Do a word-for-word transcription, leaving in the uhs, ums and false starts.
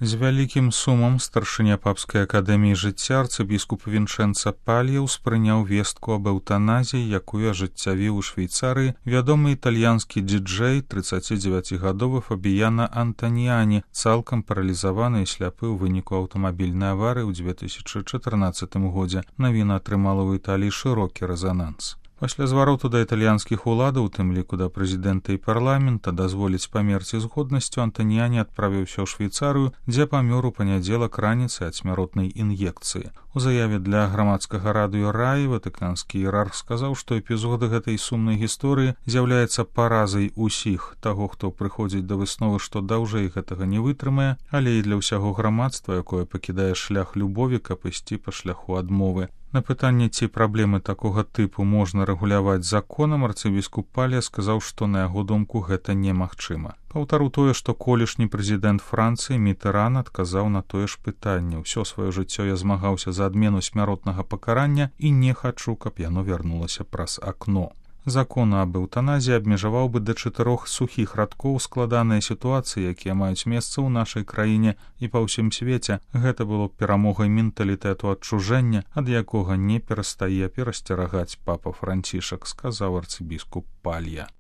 З вялікім сумам старшыня папскай акадэміі жыцця арцыбіскуп Вінчэнца Палья ўспрыняў вестку аб эўтаназіі, якую ажыццявіў у Швейцарыі вядомы італьянскі дыджэй трыццацідзевяцігадовы Фабіяна Антаніані, цалкам паралізаваны і сляпы ў выніку аўтамабільнай аварыі ў дзве тысячы чатырнаццатым годзе. Навіна атрымала ў Італіі шырокі рэзананс. Пасля звароту да італьянскіх уладаў, у тым ліку да прэзідэнта і парламента, дазволіць памерці з годнасцю, Антаніані адправіўся ў Швейцарыю, дзе памёр у панядзелак раніцай ад смяротнай ін'екцыі. У заяве для грамадскага радыё Раі ватыканскі іерарх сказаў, што эпізоды гэтай сумнай гісторыі з'яўляецца паразай усіх таго, хто прыходзіць да высновы, што даўжэй гэтага не вытрымае, але і для ўсяго грамадства, якое пакідае шлях любові, каб ісці па шляху адмовы. На пытанне, ці праблемы такога тыпу можна рэгуляваць законам, арцыбіскуп Палья сказаў, што на яго думку гэта немагчыма. Паўтару тое, што колішні прэзідэнт Францыі Мітэран адказаў на тое ж пытанне. Усё сваё жыццё я змагаўся за адмену смяротнага пакарання і не хачу, каб яно вярнулася праз акно. Закон аб эўтаназіі абмежаваў бы да чатырох сухіх радкоў складаныя сітуацыі, якія маюць месца ў нашай краіне і па ўсім свеце. Гэта было б перамогай менталітэту адчужэння, ад якога не перастае перасцерагаць папа Францішак, сказаў арцыбіскуп Палья.